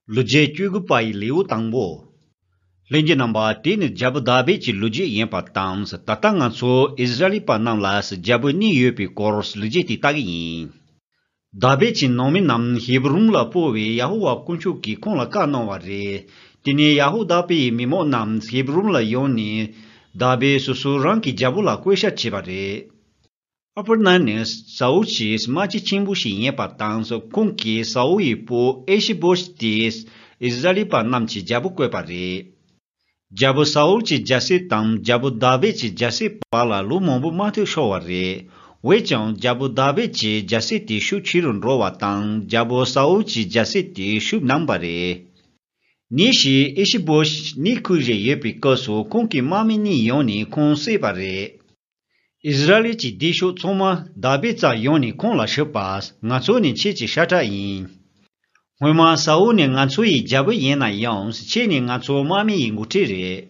Luje chugu pai liu tangbo. Lenje namba tin jab dabe chi luje yen pa tams tatanga so Israeli pa nam las jab ni yopi kors luje ti tagi. Dabe chi nomi nam Hebrum la powe Yahuwa kunchu ki kong la ka no ware. Tine Yahu dabe mimo nam Hebrum la yoni dabe susurang ki jabu la kwesha chibare. Upper Nanes, Sauchi, Smachi Chimbushi yen pa tams kunki sau ipo Eshibosh tis Israeli pa nam chi jabu kwe pare. Jabu Sauchi jasi tam jabu dabe chi jasi pala lu mombu matu showare. Wechang jabu dabe chi jasi ti shu chirun rowa tang jabu Sauchi jasi ti shu nambare. Nishi Eshibosh ni kuje yepi koso kunki mami ni yoni kong se pare. Israeli chi disho tsoma dabe tsa yoni kong la shepas ngatso ni che chi shata yin. Huima sao ni ngatso yi jabu yena yons che ni ngatso mami yi ngutere.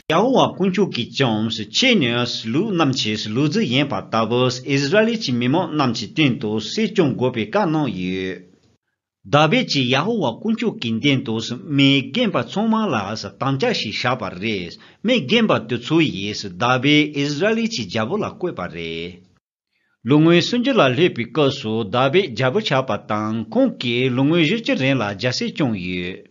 Yahuwa kunchu ki choms che ni slu namchi slu zi yen pa tabos Israeli chi mimo namchi tento se chong gope ka no ye. Dabe chi Yahuwa kunchu kintentos me genpa tsoma la sa tamcha shi shapa res, me genpa tutsu yes dabe Israeli chi jabu la kwe pa re. Lungwe sunje la lepi kaso dabe jabu chapa tang kongke lungwe jirche ren la jase chong ye.